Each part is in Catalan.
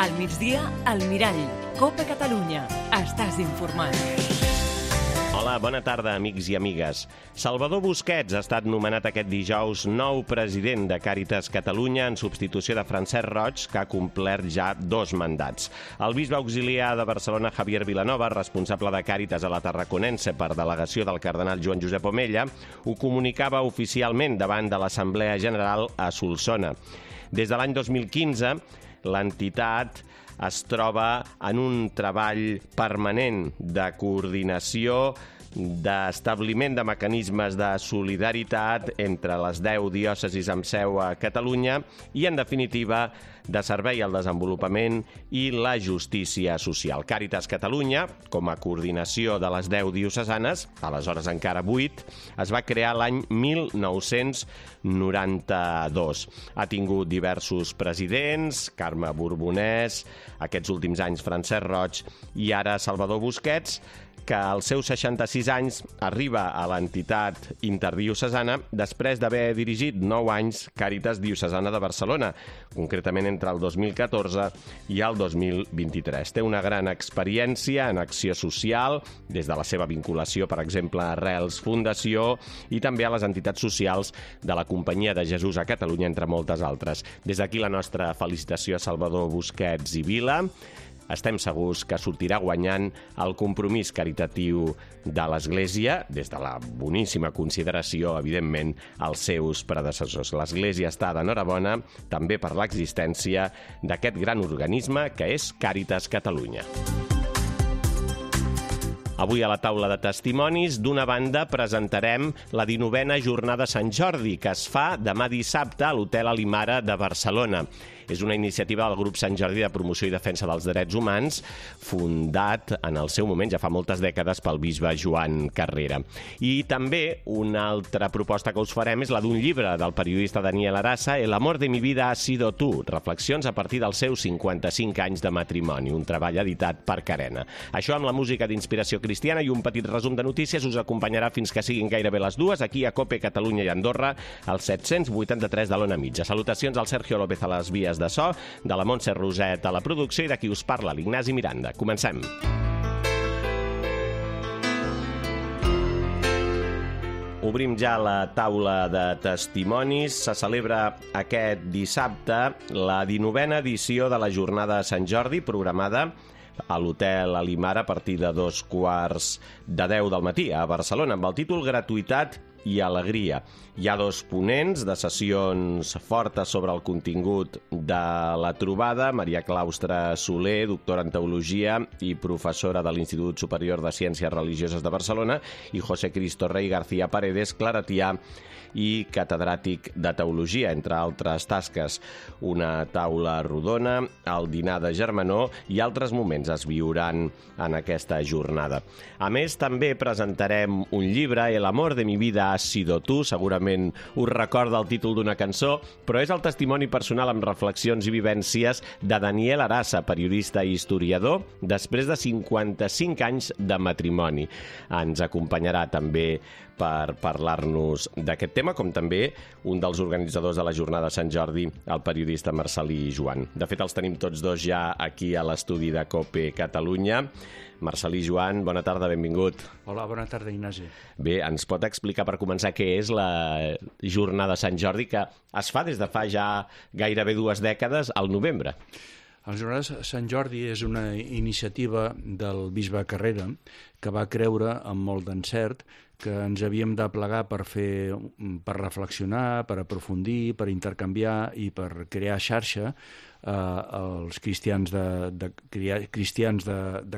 Al migdia, al Mirall. COPE Catalunya. Estàs informat. Hola, bona tarda, amics i amigues. Salvador Busquets ha estat nomenat aquest dijous nou president de Càritas Catalunya en substitució de Francesc Roig, que ha complert ja 2 mandats. El bisbe auxiliar de Barcelona, Javier Vilanova, responsable de Càritas a la Tarraconense per delegació del cardenal Joan Josep Omella, ho comunicava oficialment davant de l'Assemblea General a Solsona. Des de l'any 2015, l'entitat es troba en un treball permanent de coordinació, d'establiment de mecanismes de solidaritat entre les 10 diòcesis amb seu a Catalunya i, en definitiva, de servei al desenvolupament i la justícia social. Càritas Catalunya, com a coordinació de les 10 diocesanes, aleshores encara 8, es va crear l'any 1992. Ha tingut diversos presidents, Carme Borbonès, aquests últims anys Francesc Roig i ara Salvador Busquets, que als seus 66 anys arriba a l'entitat interdiocesana després d'haver dirigit 9 anys Càritas Diocesana de Barcelona, concretament entre el 2014 i el 2023. Té una gran experiència en acció social, des de la seva vinculació, per exemple, a Arrels Fundació i també a les entitats socials de la Companyia de Jesús a Catalunya, entre moltes altres. Des d'aquí la nostra felicitació a Salvador Busquets i Vila. Estem segurs que sortirà guanyant el compromís caritatiu de l'Església, des de la boníssima consideració, evidentment, als seus predecessors. L'Església està d'enhorabona també per l'existència d'aquest gran organisme que és Càritas Catalunya. Avui a la taula de testimonis, d'una banda, presentarem la 19a Jornada Sant Jordi, que es fa demà dissabte a l'Hotel Alimara de Barcelona. És una iniciativa del grup Sant Jordi de Promoció i Defensa dels Drets Humans, fundat en el seu moment, ja fa moltes dècades, pel bisbe Joan Carrera. I també una altra proposta que us farem és la d'un llibre del periodista Daniel Arasa, El amor de mi vida ha sido tú, reflexions a partir dels seus 55 anys de matrimoni, un treball editat per Carena. Això amb la música d'inspiració cristiana i un petit resum de notícies us acompanyarà fins que siguin gairebé les 2, aquí a COPE Catalunya i Andorra, al 783 de l'Ona Mitja. Salutacions al Sergio López a les vies de so, de la Montse Roset a la producció i de qui us parla, l'Ignasi Miranda. Comencem. Obrim ja la taula de testimonis. Se celebra aquest dissabte la 19a edició de la Jornada de Sant Jordi, programada a l'Hotel Alimara a partir de 2:15 del matí a Barcelona, amb el títol Gratuïtat i alegria. Hi ha 2 ponents de sessions fortes sobre el contingut de la trobada, Maria Claustre Soler, doctora en Teologia i professora de l'Institut Superior de Ciències Religioses de Barcelona, i José Cristo Rey García Paredes, claretià i catedràtic de Teologia, entre altres tasques. Una taula rodona, el dinar de germanor i altres moments es viuran en aquesta jornada. A més, també presentarem un llibre, El amor de mi vida ha sido tú, segurament us recorda el títol d'una cançó, però és el testimoni personal amb reflexions i vivències de Daniel Arasa, periodista i historiador, després de 55 anys de matrimoni. Ens acompanyarà també per parlar-nos d'aquest tema, com també un dels organitzadors de la Jornada de Sant Jordi, el periodista Marcel·lí Joan. De fet, els tenim tots dos ja aquí a l'estudi de COPE Catalunya. Marcel·lí Joan, bona tarda, benvingut. Hola, bona tarda, Ignasi. Bé, ens pot explicar per començar què és la Jornada de Sant Jordi, que es fa des de fa ja gairebé 2 dècades al novembre? La Jornada de Sant Jordi és una iniciativa del bisbe Carrera que va creure amb molt d'encert que ens havíem de plegar per reflexionar, per aprofundir, per intercanviar i per crear xarxa els cristians de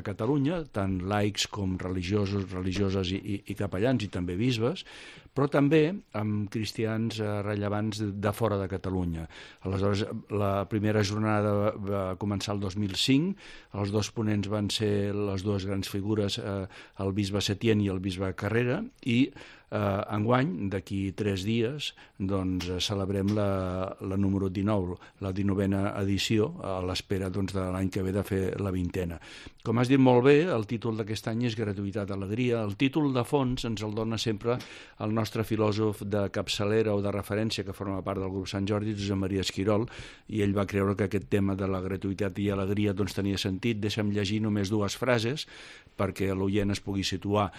Catalunya, tant laics com religiosos, religioses i capellans, i també bisbes, però també amb cristians rellevants de fora de Catalunya. Aleshores, la primera jornada va començar el 2005, els 2 ponents van ser les 2 grans figures, el bisbe Setién i el bisbe Carrera, i Enguany, d'aquí 3 dies, doncs celebrem la número 19, la 19a edició, a l'espera doncs, de l'any que ve de fer la 20a. Com has dit molt bé, el títol d'aquest any és Gratuïtat, Alegria. El títol de fons ens el dona sempre el nostre filòsof de capçalera o de referència que forma part del grup Sant Jordi, Josep Maria Esquirol, i ell va creure que aquest tema de la gratuïtat i alegria doncs, tenia sentit. Deixa'm llegir només 2 frases perquè l'oient es pugui situar.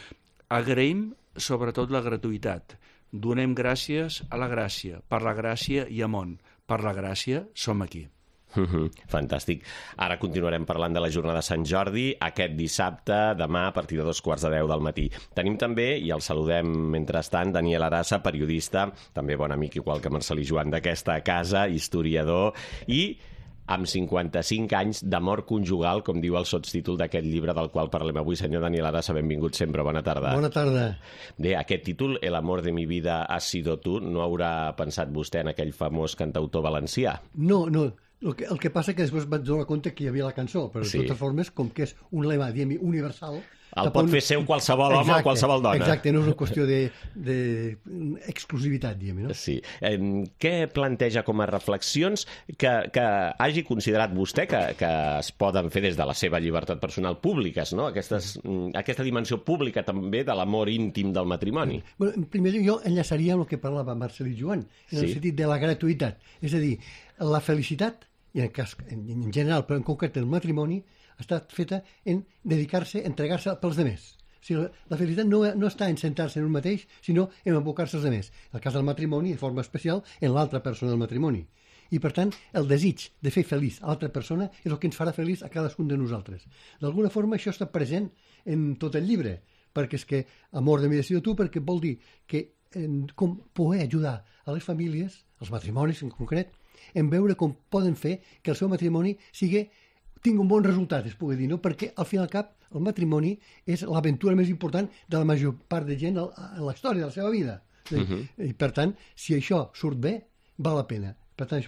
Agraïm sobretot la gratuïtat. Donem gràcies a la gràcia. Per la gràcia i amont. Per la gràcia som aquí. Fantàstic. Ara continuarem parlant de la jornada de Sant Jordi aquest dissabte, demà a partir de 2:15 del matí. Tenim també, i el saludem mentrestant, Daniel Arassa, periodista, també bon amic igual que Marcelí Joan d'aquesta casa, historiador i amb 55 anys d'amor conjugal, com diu el sotstítol d'aquest llibre del qual parlem avui. Senyor Daniel Arassa, benvingut sempre, bona tarda. Bona tarda. Bé, aquest títol, El amor de mi vida has sido tú, no haurà pensat vostè en aquell famós cantautor valencià? No. El que passa que després vaig donar compte que hi havia la cançó, però de totes formes, com que és un lema, diguem, universal... El pot fer seu qualsevol home o qualsevol dona. Exacte, no és una qüestió d'exclusivitat, diguem, no? Sí. Què planteja com a reflexions que hagi considerat vostè que es poden fer des de la seva llibertat personal públiques, no? Aquesta dimensió pública també de l'amor íntim del matrimoni? Bueno, en primer lloc, jo enllaçaria amb el que parlava Marcelí Joan, en el sentit de la gratuïtat. És a dir, la felicitat, i en general, però en concret el matrimoni, ha estat feta en dedicar-se, entregar-se pels demés. O sigui, la felicitat no està en sentar-se en un mateix, sinó en abocar-se als demés. En el cas del matrimoni, de forma especial, en l'altra persona del matrimoni. I, per tant, el desig de fer feliç a l'altra persona és el que ens farà feliç a cadascun de nosaltres. D'alguna forma, això està present en tot el llibre, perquè és que amor de mi decido tu, perquè vol dir que com poder ajudar a les famílies, als matrimonis en concret, en veure com poden fer que el seu matrimoni tingui un bon resultat, es pugui dir, no? Perquè al fin i al cap el matrimoni és l'aventura més important de la major part de gent en la història de la seva vida. I per tant, si això surt bé, val la pena. Per tant,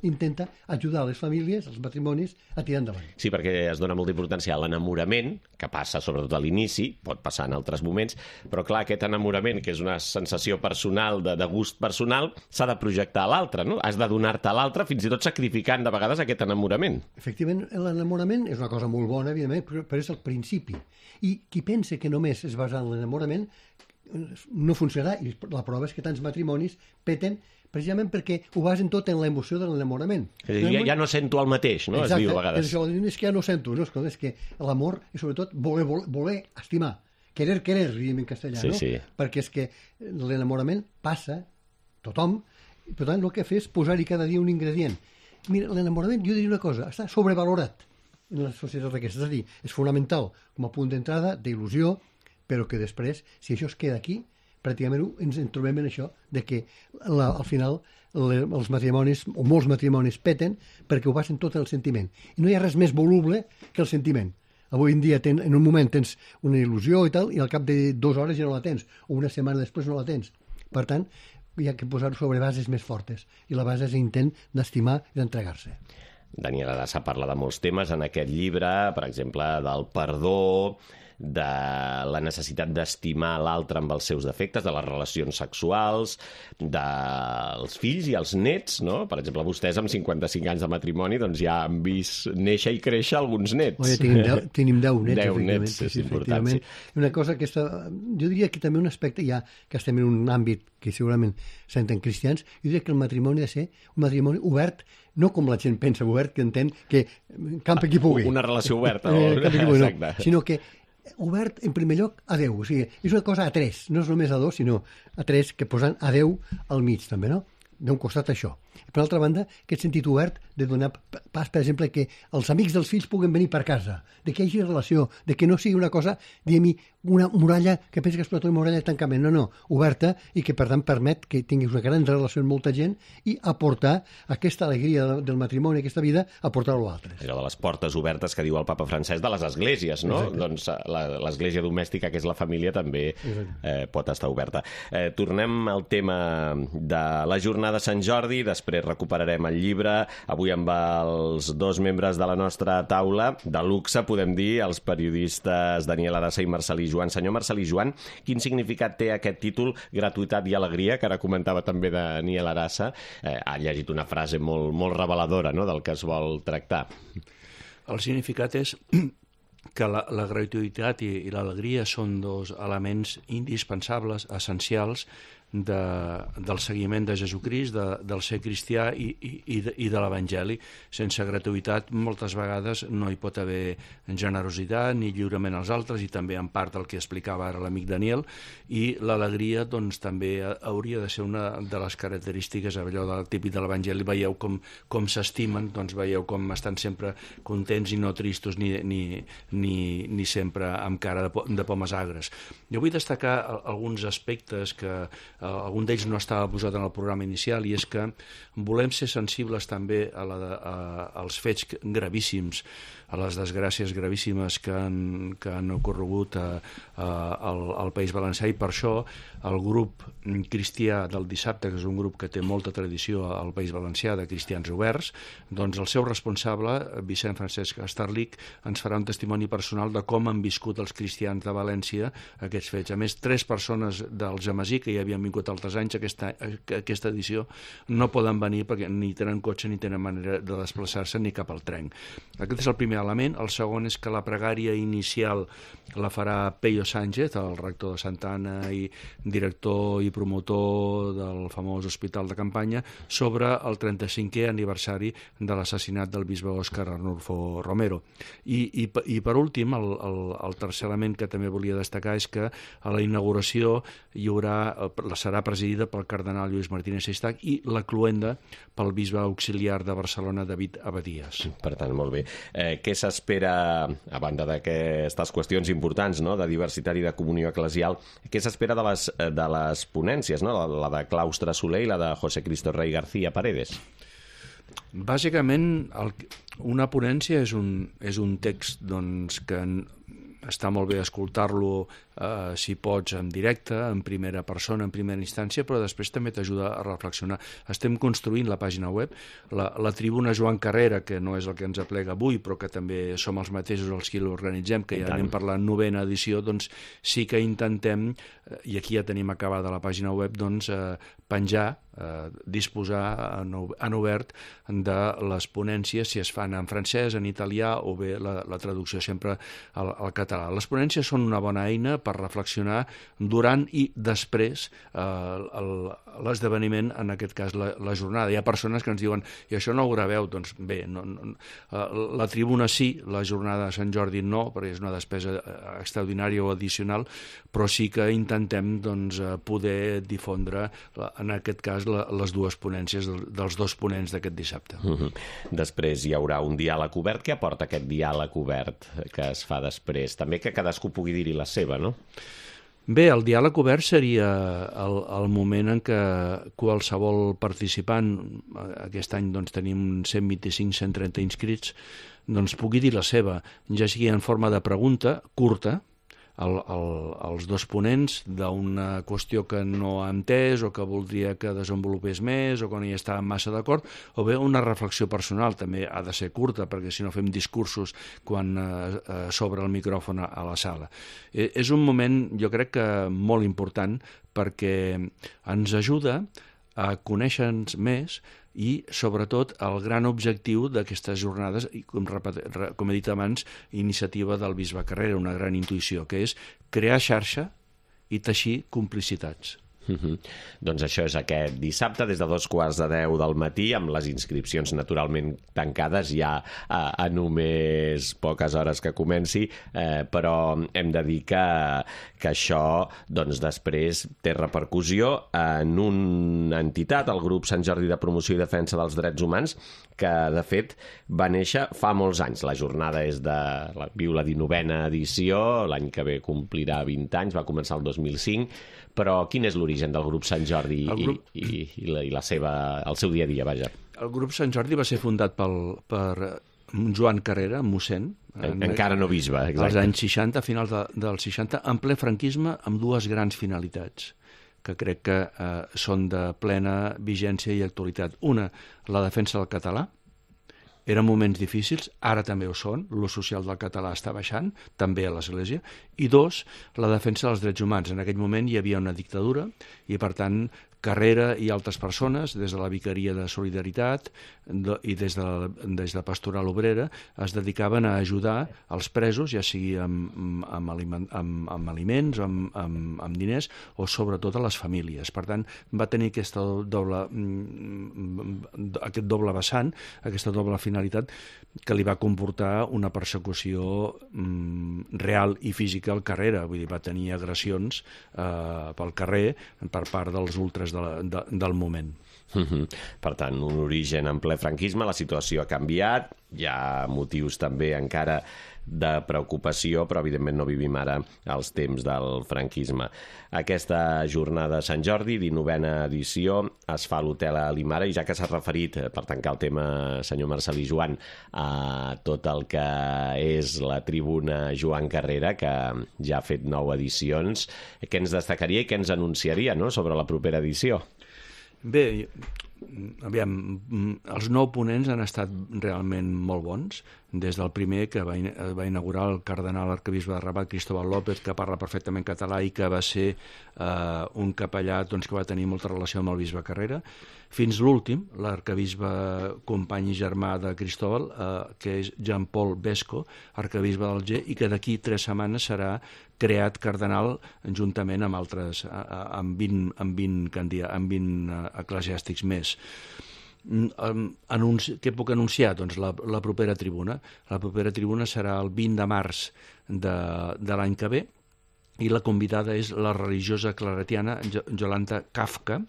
intenta ajudar les famílies, els matrimonis, a tirar endavant. Sí, perquè es dona molta importància a l'enamorament, que passa sobretot a l'inici, pot passar en altres moments, però clar, aquest enamorament, que és una sensació personal, de gust personal, s'ha de projectar a l'altre, no? Has de donar-te a l'altre, fins i tot sacrificant de vegades aquest enamorament. Efectivament, l'enamorament és una cosa molt bona, evidentment, però és el principi. I qui pensa que només es basa en l'enamorament no funcionarà, i la prova és que tants matrimonis peten precisament perquè ho basen tot en l'emoció de l'enamorament. Ja no sento el mateix, no? Exacte, es diu a vegades. És que ja no sento, no? És que l'amor és sobretot voler estimar. Querer, diguem en castellà, no? Sí. Perquè és que l'enamorament passa, tothom, per tant el que fa és posar-hi cada dia un ingredient. Mira, l'enamorament, jo diria una cosa, està sobrevalorat en la societat aquesta, és a dir, és fonamental com a punt d'entrada, d'il·lusió, però que després, si això es queda aquí, pràcticament ens en trobem en això, de que al final els matrimonis, o molts matrimonis, peten perquè ho basen tot en el sentiment. I no hi ha res més voluble que el sentiment. Avui en dia, en un moment tens una il·lusió i tal, i al cap de 2 hores ja no la tens, o una setmana després no la tens. Per tant, hi ha que posar-ho sobre bases més fortes, i la base és l'intent d'estimar i d'entregar-se. Daniel Arassa parla de molts temes en aquest llibre, per exemple, del perdó, de la necessitat d'estimar l'altre amb els seus defectes, de les relacions sexuals, dels fills i els nets, no? Per exemple, vostès amb 55 anys de matrimoni doncs ja han vist néixer i créixer alguns nets. Tenim 10 nets. 10 nets, és important. Sí. Una cosa que jo diria que també un aspecte, ja que estem en un àmbit que segurament senten cristians, jo diria que el matrimoni ha de ser un matrimoni obert, no com la gent pensa obert, que entén que campi qui pugui. Una relació oberta. No, sinó que obert, en primer lloc, a Déu. O sigui, és una cosa a 3, no és només a 2, sinó a 3, que posen a Déu al mig, també, no? D'un costat això. I per altra banda, aquest sentit obert de donar pas, per exemple, que els amics dels fills puguen venir per casa, de que hi hagi relació, de que no sigui una cosa, diguem-hi, una muralla que pensa que és una muralla de tancament, no, oberta, i que per tant permet que tinguis una gran relació amb molta gent i aportar aquesta alegria del matrimoni, aquesta vida, aportar-ho a altres. Allò de les portes obertes que diu el papa Francesc de les esglésies, no? Exacte. Doncs l'església domèstica, que és la família, també pot estar oberta. Tornem al tema de la jornada de Sant Jordi, després després recuperarem el llibre. Avui amb els dos membres de la nostra taula, de luxe, podem dir, els periodistes Daniel Arassa i Marcel·lí Joan. Senyor Marcel·lí Joan, quin significat té aquest títol, Gratuïtat i alegria, que ara comentava també Daniel Arassa? Ha llegit una frase molt reveladora, no?, del que es vol tractar. El significat és que la gratuïtat i l'alegria són dos elements indispensables, essencials, del seguiment de Jesucrist, del ser cristià i de l'Evangeli. Sense gratuïtat moltes vegades no hi pot haver generositat ni lliurament als altres, i també en part el que explicava ara l'amic Daniel, i l'alegria doncs també hauria de ser una de les característiques, allò del típic de l'Evangeli. Veieu com s'estimen, doncs veieu com estan sempre contents i no tristos ni sempre amb cara de pomes agres. Jo vull destacar alguns aspectes que algun d'ells no estava posat en el programa inicial, i és que volem ser sensibles també als fets gravíssims, a les desgràcies gravíssimes que han ocorregut al País Valencià, i per això el grup cristià del dissabte, que és un grup que té molta tradició al País Valencià, de cristians oberts, doncs el seu responsable, Vicent Francesc Estarlich, ens farà un testimoni personal de com han viscut els cristians de València aquests fets. A més, 3 persones del Jamasí, que ja havien vingut altres anys, aquesta edició no poden venir perquè ni tenen cotxe ni tenen manera de desplaçar-se ni cap al tren. Aquest és el primer element. El segon és que la pregària inicial la farà Peyo Sánchez, el rector de Santa Anna i director i promotor del famós hospital de campanya, sobre el 35è aniversari de l'assassinat del bisbe Òscar Arnulfo Romero. I per últim, el tercer element que també volia destacar és que a la inauguració serà presidida pel cardenal Lluís Martínez Seixtac i la cloenda pel bisbe auxiliar de Barcelona, David Abadías. Per tant, molt bé. Què s'espera, a banda d'aquestes qüestions importants, no?, de diversitat i de comunió eclesial, què s'espera de les ponències, no?, la de Claustre Soler i la de José Cristo Rey García Paredes? Bàsicament, una ponència és un text doncs, que està molt bé escoltar-lo, si pots, en directe, en primera persona, en primera instància, però després també t'ajuda a reflexionar. Estem construint la pàgina web, la tribuna Joan Carrera, que no és el que ens aplega avui, però que també som els mateixos els qui l'organitzem, que ja anem per la 9ª edició, doncs sí que intentem, i aquí ja tenim acabada la pàgina web, doncs penjar, disposar en obert de les ponències, si es fan en francès, en italià, o bé la traducció sempre al català. Les ponències són una bona eina per reflexionar durant i després l'esdeveniment, en aquest cas la jornada. Hi ha persones que ens diuen, i això no ho graveu? Doncs bé, la tribuna sí, la jornada de Sant Jordi no, perquè és una despesa extraordinària o addicional, però sí que intentem poder difondre, en aquest cas, les dues ponències dels dos ponents d'aquest dissabte. Després hi haurà un diàleg obert. Què aporta aquest diàleg obert que es fa després? També que cadascú pugui dir-hi la seva, no? Bé, el diàleg obert seria el moment en què qualsevol participant, aquest any tenim 125-130 inscrits, pugui dir la seva, ja sigui en forma de pregunta curta, els dos ponents d'una qüestió que no ha entès o que voldria que desenvolupés més o que no hi està massa d'acord, o bé una reflexió personal, també ha de ser curta, perquè si no fem discursos quan s'obre el micròfon a la sala. És un moment, jo crec que molt important, perquè ens ajuda a conèixer-nos més i, sobretot, el gran objectiu d'aquestes jornades, i com he dit abans, iniciativa del bisbe Carrera, una gran intuïció, que és crear xarxa i teixir complicitats. Doncs això és aquest dissabte des de 2:15 del matí, amb les inscripcions naturalment tancades ja a només poques hores que comenci, però hem de dir que això després té repercussió en una entitat, el grup Sant Jordi de Promoció i Defensa dels Drets Humans, que de fet va néixer fa molts anys. La jornada viu la 19ª edició, l'any que ve complirà 20 anys, va començar el 2005, però quin és l'origen del grup Sant Jordi i el seu dia a dia, vaja? El grup Sant Jordi va ser fundat per Joan Carrera, mossèn. Encara no bisbe, exacte. Als anys 60, a finals dels 60, en ple franquisme, amb dues grans finalitats, que crec que són de plena vigència i actualitat. Una, la defensa del català. Eren moments difícils, ara també ho són, l'ús social del català està baixant, també a l'Església, i dos, la defensa dels drets humans. En aquell moment hi havia una dictadura i, per tant, Carrera i altres persones, des de la Vicaria de Solidaritat i des de Pastoral Obrera, es dedicaven a ajudar els presos, ja sigui amb aliments, amb diners, o sobretot a les famílies. Per tant, va tenir aquest doble vessant, aquesta doble finalitat, que li va comportar una persecució real i física al Carrera. Vull dir, va tenir agressions pel carrer per part dels ultres del moment. Per tant, un origen en ple franquisme, la situació ha canviat, hi ha motius també encara de preocupació, però evidentment no vivim ara els temps del franquisme. Aquesta jornada de Sant Jordi, 19a edició, es fa a l'Hotel Alimara, i ja que s'ha referit, per tancar el tema, senyor Marcel·lí Joan, a tot el que és la tribuna Joan Carrera, que ja ha fet 9 edicions, què ens destacaria i què ens anunciaria, no?, sobre la propera edició? Bé, aviam, els 9 ponents han estat realment molt bons, des del primer que va inaugurar el cardenal arquebisbe de Rabat, Cristóbal López, que parla perfectament català i que va ser un capellà que va tenir molta relació amb el bisbe Carrera, fins l'últim, l'arquebisbe company i germà de Cristóbal, que és Jean-Paul Besco, arquebisbe d'Alger, i que d'aquí 3 setmanes serà creat cardenal juntament amb altres, amb 20 eclesiàstics més. Què puc anunciar? Doncs la propera tribuna. La propera tribuna serà el 20 de març de l'any que ve, i la convidada és la religiosa claretiana Jolanta Kafka,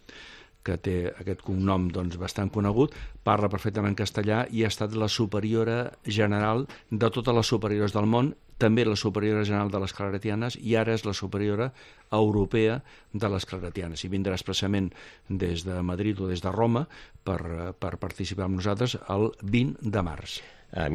que té aquest cognom bastant conegut, parla perfectament castellà i ha estat la superiora general de totes les superiores del món, també la superiora general de les claretianes, i ara és la superiora europea de les claretianes, i vindrà expressament des de Madrid o des de Roma per participar amb nosaltres el 20 de març.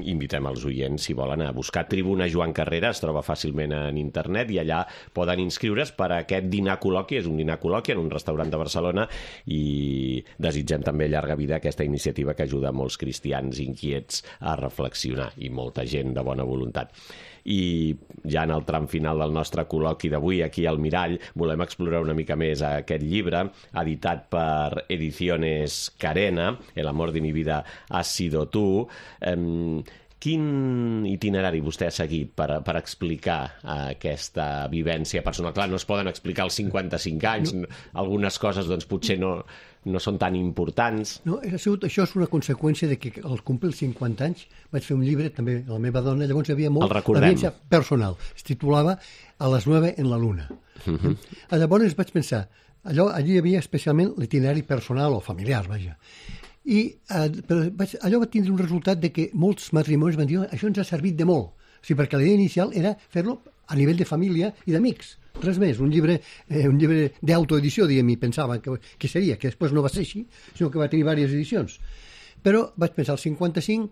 Invitem els oients, si volen, a buscar Tribuna Joan Carrera, es troba fàcilment en internet, i allà poden inscriure's per a aquest dinar col·loqui. És un dinar col·loqui en un restaurant de Barcelona, i desitgem també llarga vida a aquesta iniciativa que ajuda molts cristians inquiets a reflexionar, i molta gent de bona voluntat. I ja en el tram final del nostre col·loqui d'avui, aquí al Mirall, volem explorar una mica més aquest llibre, editat per Ediciones Carena, El amor de mi vida ha sido tú. Quin itinerari vostè ha seguit per explicar aquesta vivència personal? Clar, no es poden explicar els 55 anys, algunes coses potser no són tan importants. No, això és una conseqüència de que al complir els 50 anys vaig fer un llibre, també la meva dona, llavors hi havia molt d'evidència personal. Es titulava A les 9 en la luna. Llavors vaig pensar, allí hi havia especialment l'itinerari personal o familiar, vaja. Però allò va tindre un resultat de que molts matrimonis van dir això ens ha servit de molt, perquè la idea inicial era fer-lo a nivell de família i d'amics, res més, un llibre d'autoedició, diguem, i pensava que seria, que després no va ser així, sinó que va tenir diverses edicions. Però vaig pensar, al 55,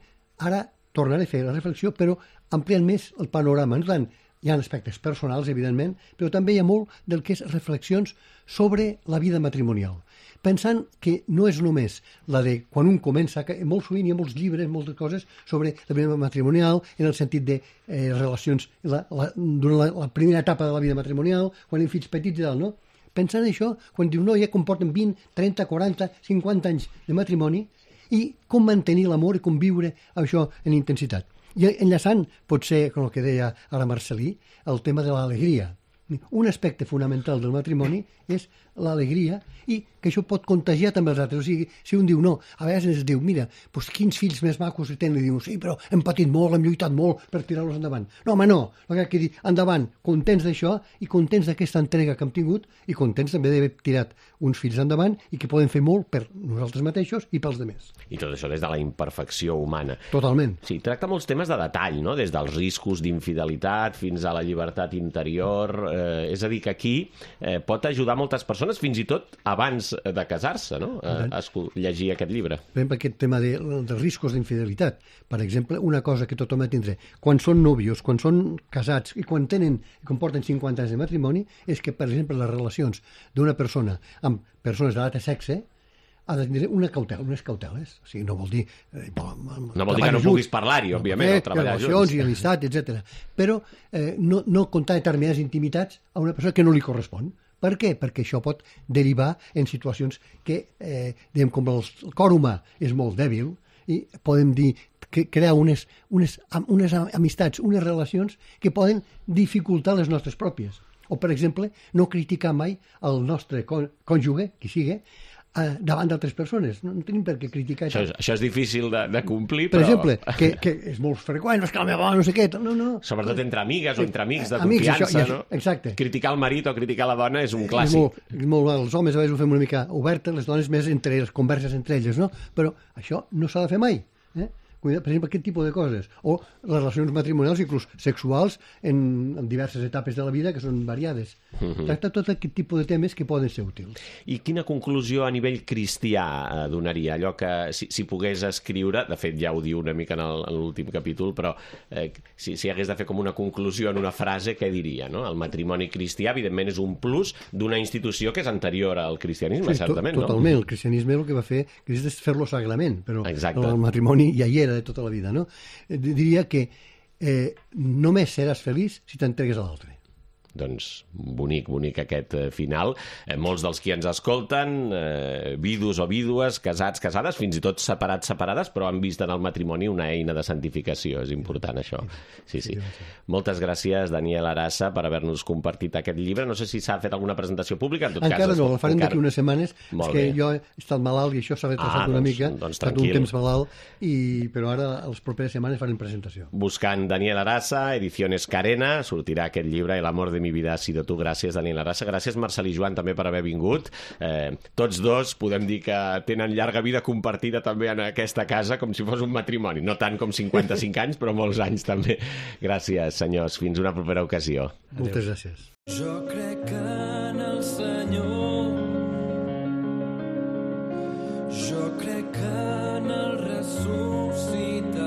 ara tornaré a fer la reflexió, però ampliant més el panorama. No tant, hi ha aspectes personals, evidentment, però també hi ha molt del que és reflexions sobre la vida matrimonial, pensant que no és només la de quan un comença, que molt sovint hi ha molts llibres, moltes coses sobre la vida matrimonial, en el sentit de relacions durant la primera etapa de la vida matrimonial, quan hi ha fills petits i tal, no? Pensant en això, quan diu no, ja comporten 20, 30, 40, 50 anys de matrimoni, i com mantenir l'amor i com viure això en intensitat. I enllaçant, potser, com el que deia ara Marcel·lí, el tema de l'alegria. Un aspecte fonamental del matrimoni és l'alegria, i que això pot contagiar també els altres. O sigui, si un diu no, a vegades ens diu, mira, doncs quins fills més macos tenen, i diu, sí, però hem patit molt, hem lluitat molt per tirar-los endavant. No, home, no, el que dir, endavant, contents d'això i contents d'aquesta entrega que hem tingut i contents també d'haver tirat uns fills endavant i que poden fer molt per nosaltres mateixos i pels altres. I tot això des de la imperfecció humana. Totalment. Sí, tracta molts temes de detall, no? Des dels riscos d'infidelitat fins a la llibertat interior, És a dir, que aquí pot ajudar moltes persones, fins i tot abans de casar-se, no? A llegir aquest llibre. Per exemple, aquest tema dels riscos d'infidelitat. Per exemple, una cosa que tothom ha de tindre. Quan són nòvios, quan són casats i quan porten 50 anys de matrimoni, és que, per exemple, les relacions d'una persona amb persones de l'altre sexe ha de tenir unes cauteles. O sigui, no vol dir... no vol dir que no puguis parlar-hi, òbviament, o treballar junts. Relacions i amistat, etc. Però no contar determinades intimitats a una persona que no li correspon. Per què? Perquè això pot derivar en situacions que, com el cor humà és molt dèbil, i podem dir que crear unes amistats, unes relacions que poden dificultar les nostres pròpies. O, per exemple, no criticar mai el nostre cònjuge, qui sigui, davant d'altres persones. No tenim per què criticar això. Això és difícil de complir, però... Per exemple, que és molt freqüent, no és que la meva dona no sé què... No. Sobretot entre amigues o entre amics de confiança, no? Exacte. Criticar el marit o criticar la dona és un clàssic. És molt, els homes a vegades ho fem una mica oberta, les dones més entre les converses entre elles, no? Però això no s'ha de fer mai. Per exemple, aquest tipus de coses. O les relacions matrimonials, inclús sexuals, en diverses etapes de la vida, que són variades. Tracta tot aquest tipus de temes que poden ser útils. I quina conclusió a nivell cristià donaria? Allò que, si pogués escriure, de fet ja ho diu una mica en l'últim capítol, però si hagués de fer com una conclusió en una frase, què diria? No? El matrimoni cristià, evidentment, és un plus d'una institució que és anterior al cristianisme, certament, no? Totalment. El cristianisme el que va fer és fer-lo sagrament, però exacte. El matrimoni ja hi era de tota la vida, no? Diria que només seràs feliç si t'entregues a l'altre. Doncs bonic aquest final. Molts dels qui ens escolten, vidus o vídues, casats, casades, fins i tot separats, separades, però han vist en el matrimoni una eina de santificació. És important, això. Sí. Moltes gràcies, Daniel Arassa, per haver-nos compartit aquest llibre. No sé si s'ha fet alguna presentació pública. En tot encara cas, no, la farem d'aquí unes setmanes. És que jo he estat malalt i això s'ha retrasat una mica. He estat un temps malalt, però ara, a les properes setmanes, farem presentació. Buscant Daniel Arassa, Ediciones Carena, sortirà aquest llibre, El amor de mi vida ha sido tú. Gràcies, Daniel Arassa. Gràcies, Marcel i Joan, també per haver vingut. Tots dos podem dir que tenen llarga vida compartida també en aquesta casa, com si fos un matrimoni. No tant com 55 anys, però molts anys també. Gràcies, senyors. Fins una propera ocasió. Moltes gràcies. Jo crec en el Senyor, jo crec en el ressuscitat,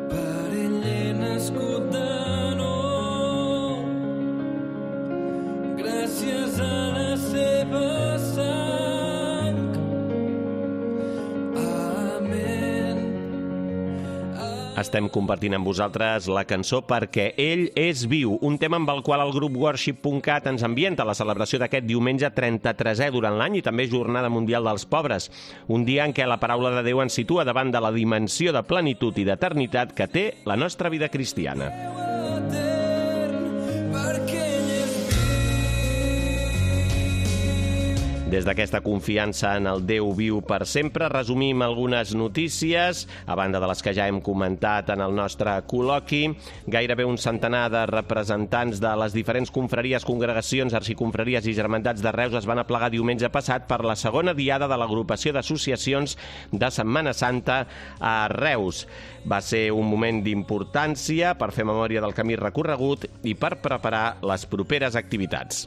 per ell he nascut de nou, gràcies a la seva sang. Amén. Estem compartint amb vosaltres la cançó Perquè ell és viu, un tema amb el qual el grup Worship.cat ens ambienta la celebració d'aquest diumenge 33è durant l'any i també Jornada Mundial dels Pobres, un dia en què la paraula de Déu ens situa davant de la dimensió de plenitud i d'eternitat que té la nostra vida cristiana. Des d'aquesta confiança en el Déu viu per sempre, resumim algunes notícies, a banda de les que ja hem comentat en el nostre col·loqui. Gairebé un centenar de representants de les diferents confraries, congregacions, arxiconfraries i germandats de Reus es van aplegar diumenge passat per la segona diada de l'agrupació d'associacions de Setmana Santa a Reus. Va ser un moment d'importància per fer memòria del camí recorregut i per preparar les properes activitats.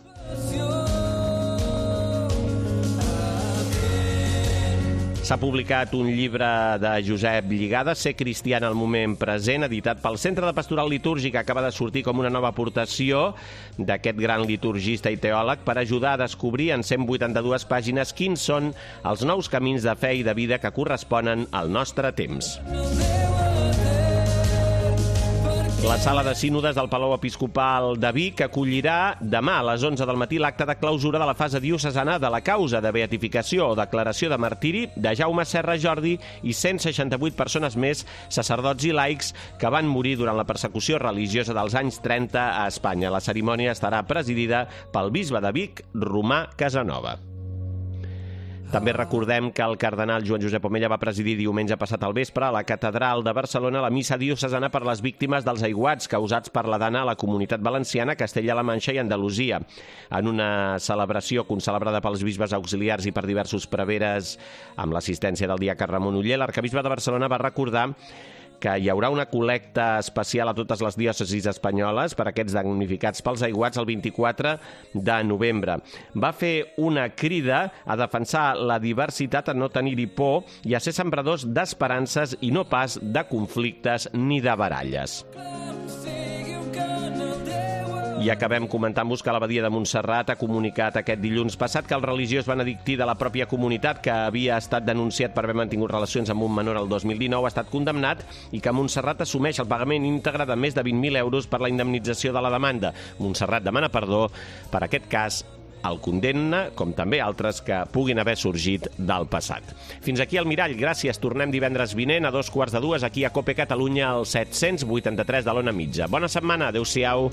S'ha publicat un llibre de Josep Lligada, Ser cristià en el moment present, editat pel Centre de Pastoral Litúrgica. Acaba de sortir com una nova aportació d'aquest gran liturgista i teòleg per ajudar a descobrir en 182 pàgines quins són els nous camins de fe i de vida que corresponen al nostre temps. La sala de sínodes del Palau Episcopal de Vic acollirà demà a les 11 del matí l'acte de clausura de la fase diocesana de la causa de beatificació o declaració de martiri de Jaume Serra Jordi i 168 persones més, sacerdots i laics, que van morir durant la persecució religiosa dels anys 30 a Espanya. La cerimònia estarà presidida pel bisbe de Vic, Romà Casanova. També recordem que el cardenal Joan Josep Omella va presidir diumenge passat al vespre a la Catedral de Barcelona la missa diocesana per les víctimes dels aiguats causats per la dana a la Comunitat Valenciana, Castella-La Manxa i Andalusia. En una celebració concelebrada pels bisbes auxiliars i per diversos preveres amb l'assistència del diaca Ramon Uller, l'arquebisbe de Barcelona va recordar que hi haurà una col·lecta especial a totes les diòcesis espanyoles per aquests damnificats pels aiguats el 24 de novembre. Va fer una crida a defensar la diversitat, a no tenir-hi por i a ser sembradors d'esperances i no pas de conflictes ni de baralles. I acabem comentant-vos que l'Abadia de Montserrat ha comunicat aquest dilluns passat que el religiós benedictí de la pròpia comunitat, que havia estat denunciat per haver mantingut relacions amb un menor el 2019, ha estat condemnat i que Montserrat assumeix el pagament íntegre de més de 20.000 euros per la indemnització de la demanda. Montserrat demana perdó per aquest cas, el condemna, com també altres que puguin haver sorgit del passat. Fins aquí el Mirall, gràcies. Tornem divendres vinent a 2:15 aquí a COPE Catalunya, al 783 de l'Ona Mitja. Bona setmana, adeu-siau.